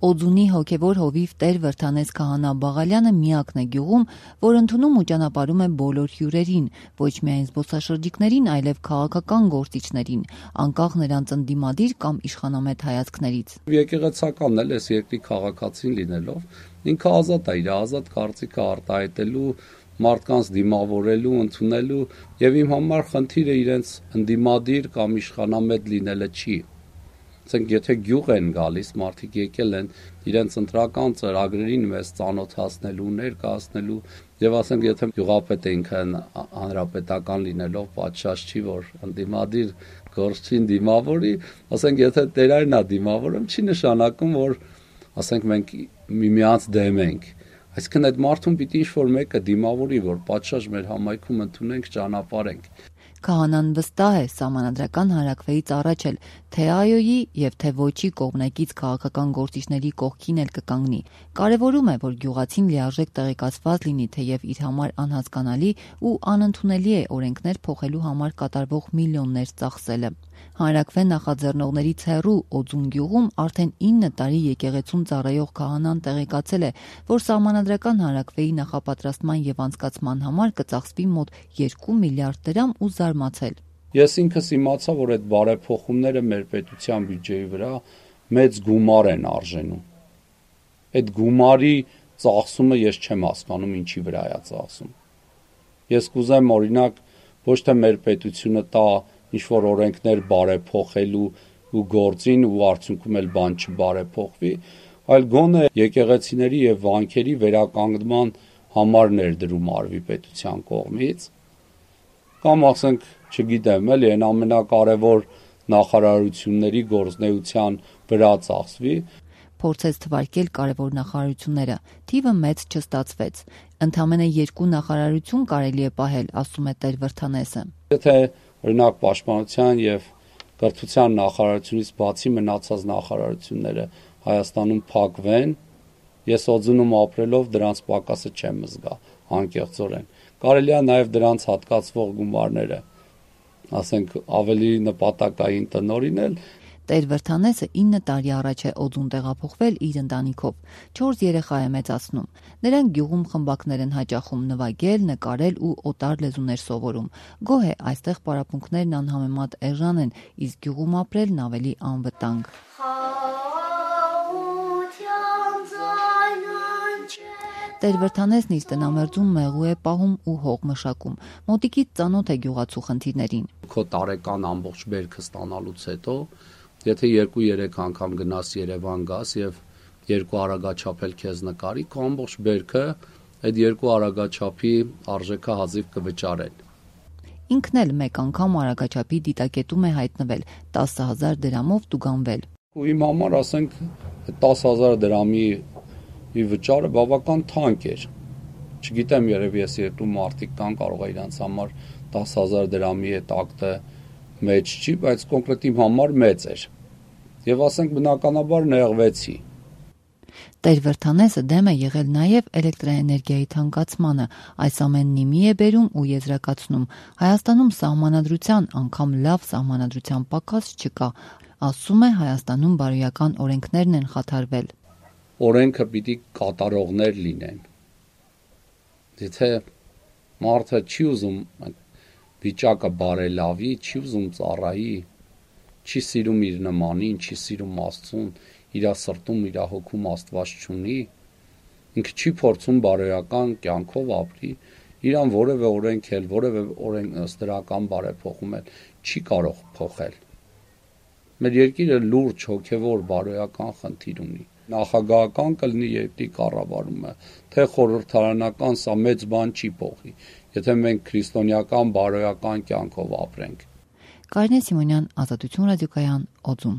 Օձունի հոգևոր հովիվ Տեր Վրդանես Քահանա Բաղալյանը միակն է գյուղում, որ ընդունում ու ճանապարհում է բոլոր հյուրերին, ոչ միայն զբոսաշրջիկներին, այլև քաղաքական գործիչներին, անկախ նրանց ընդդիմադիր կամ իշխանամետ հայացքներից։ Եկեղեցականն էլ էս երկրի քաղաքացին լինելով, ինքը ազատ է իր ազատ կարծիքը արտահայտելու, մարդկանց դիմավորելու, ընդունելու, եւ իմ համար խնդիրը իրենց ընդդիմադիր կամ իշխանամետ լինելը չի։ Ասենք եթե գյուղ են գալիս, մարդիկ եկել են իրենց ընտրական ծրագրերին մեզ ծանոթացնելու, ներկայացնելու, եւ ասենք եթե գյուղապետը ինքն հանրապետական լինելով պատշաճ չի, որ ընդդիմադիր գործչին դիմավորի, ասենք եթե Տերայրն է դիմավորում, չի նշանակում, որ ասենք մենք միմյանց դեմ ենք։ Այսինքն այդ մարդուն պիտի ինչ-որ մեկը դիմավորի, որ պատշաճ մեր համայնքում ընդունենք, ճանապարհենք։ Քահանան վստահ է սահմանադրական հանրաքվեից առաջ էլ թե այոյի եւ թե ոչի կողմնակից քաղաքական գործիչների կողքին էլ կկանգնի։ Կարևորում է, որ գյուղացին լիարժեք տեղեկացված լինի, թեև իր համար անհասկանալի ու անընդունելի է օրենքներ փոխելու համար կատարվող միլիոններ ծախսելը։ Հանրաքվե նախաձեռնողներից հեռու Օձուն գյուղում արդեն 9 տարի եկեղեցում ծառայող քահանան տեղեկացել է, որ սահմանադրական հանրաքվեի նախապատրաստման եւ անցկացման համար կծախսվի մոտ 2 միլիարդ դրամ ու զարմացել։ Ես ինքս իմացա, որ այդ բարեփոխումները մեր պետության բյուջեի վրա մեծ գումար են արժենում։ Այդ գումարի ծախսումը ես չեմ հասկանում ինչի վրա է ծախսում։ Ես կուզեմ օրինակ ոչ թե մեր պետությունը տա ինչ-որ օրենքներ բարեփոխելու ու գործին ու արդյունքում էլ բան չբարեփոխվի, այլ գոնե եկեղեցիների եւ վանքերի վերականգնման համար ներդրում արվի պետության կողմից, կամ ասենք, չգիտեմ, էլի այն ամենակարևոր նախարարությունների գործնեության վրա ծախսվի։ Փորձեց թվարկել կարևոր նախարարությունները, թիվը մեծ չստացվեց։ Ընդամենը 2 նախարարություն կարելի է պահել, ասում է Տեր Վրդանեսը։ Եթե օրինակ պաշտպանության եւ կրթության նախարարությունից բացի մնացած նախարարությունները Հայաստանում փակվեն, ես Օձունում ապրելով դրանց պակասը չեմ զգա, անկեղծորեն։ Կարելի է նաեւ դրանց հատկացվող գումարները, ասենք, ավելի նպատակային տնօրինել։ Տեր Վրդանեսը 9 տարի առաջ է Օձուն տեղափոխվել իր ընտանիքով, 4 երեխա է մեծացնում։ Նրանք գյուղում խմբակներ են հաճախում նվագել, նկարել ու օտար լեզուներ սովորում։ Գոհ է, այստեղ պարապմունքներն անհամեմատ էժան են, իսկ գյուղում ապրելն ավելի անվտանգ։ Տեր Վրդանեսն իր տնամերձում մեղու է պահում ու հող մշակում։ Մոտիկից ծանոթ է գյուղացու խնդիրներին։ Քո տարեկան ամբողջ բերքը ստանալուց հետո եթե 2-3 անգամ գնաս Երևան գաս եւ 2 արագաչափ էլ քեզ նկարի, քո ամբողջ բերքը այդ 2 արագաչափի արժեքը հազիվ կվճարեն։ Ինքն էլ մեկ անգամ արագաչափի դիտակետում է հայտնվել 10,000 դրամով տուգանվել։ Ու իմ համար ասենք 10,000 դրամի վճարը բավական թանկ էր։ Չգիտեմ, երևի ես երկու մարդիկ կան, կարող է իրանց համար 10,000 դրամի այդ ակտը մեծ չի, բայց կոնկրետ իմ համար մեծ էր։ Եվ ասենք բնականաբար նեղվեցի։ Տեր Վրդանեսը դեմ է եղել նաև էլեկտրաէներգիայի թանկացմանը, այս ամենն իմի է բերում ու եզրակացնում. Հայաստանում սահմանադրության, անգամ լավ սահմանադրության պակաս չկա, ասում է Հայաստանում բարոյական օրենքներն են խաթարվել։ Օրենքը պիտի կատարողներ լինեն։ Եթե մարդը չի ուզում վիճակը բարելավի, չի ուզում ծառայի, չի սիրում իր նմանին, չի սիրում Աստծուն, իր սրտում, իր հոգում Աստված չունի, ինքը չի փորձում բարոյական կյանքով ապրի, իրան որևէ օրենք էլ, որևէ օրենսդրական բարեփոխում էլ չի կարող փոխել։ Մեր երկիրը լուրջ հոգևոր բարոյական խնդիր ունի։ Նախագահական կլինի երկրի կառավարումը, թե խորհրդարանական, սա մեծ բան չի փոխի, եթե մենք քրիստոնեական բարոյական կյանքով ապրենք։ Կարինե Սիմոնյան, Ազատություն ռադիոկայան, Օձուն։